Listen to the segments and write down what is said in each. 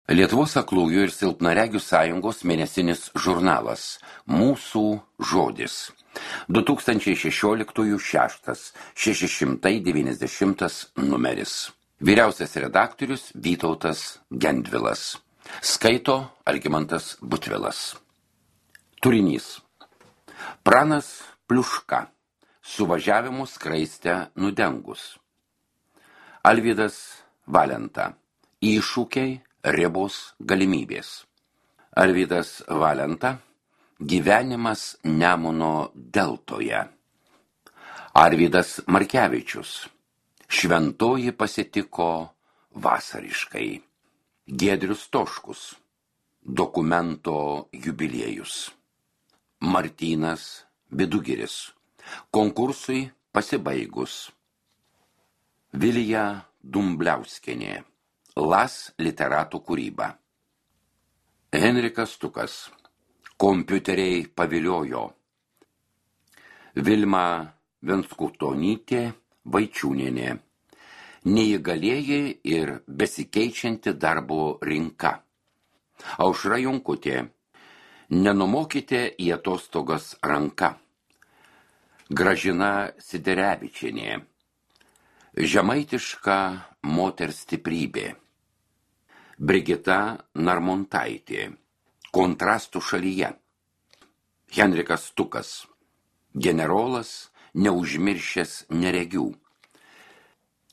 Lietuvos aklųjų ir silpnaregių sąjungos mėnesinis žurnalas Mūsų žodis. 2016/690 numeris. Vyriausias redaktorius Vytautas Gendvilas. Skaito Algimantas Butvilas. Turinys. Pranas Pliuška. Suvažiavimų skraistę nudengus. Alvydas Valenta. Iššūkiai, ribos, galimybės. Alvydas Valenta. Gyvenimas Nemuno deltoje. Arvydas Markevičius. Šventoji pasitiko vasariškai. Giedrius Toškus. Dokumento jubiliejus. Martynas Vidugiris. Konkursui pasibaigus. Vilija Dumbliauskienė. Las literatų kūryba. Henrikas Tukas. Kompiuteriai paviliojo. Vilma Venskutonytė Vaičiūnienė. Neįgalieji ir besikeičianti darbo rinka. Aušra Jonkutė. Nenumokite į atostogas ranka. Gražina Siderevičienė. Žemaitiška moters stiprybė. Brigita Narmontaitė. Kontrastų šalyje. Henrikas Tukas. Generolas neužmiršęs neregių.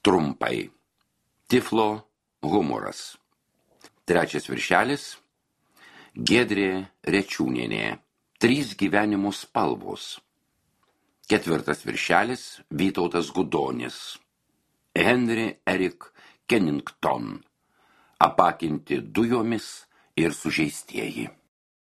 Trumpai. Tiflo humoras. Trečias viršelis. Giedrė Rečiūnienė. 3 gyvenimų spalvos. Ketvirtas viršelis. Vytautas Gudonis. Henry Eric Kennington. Apakinti dujomis ir sužeistieji.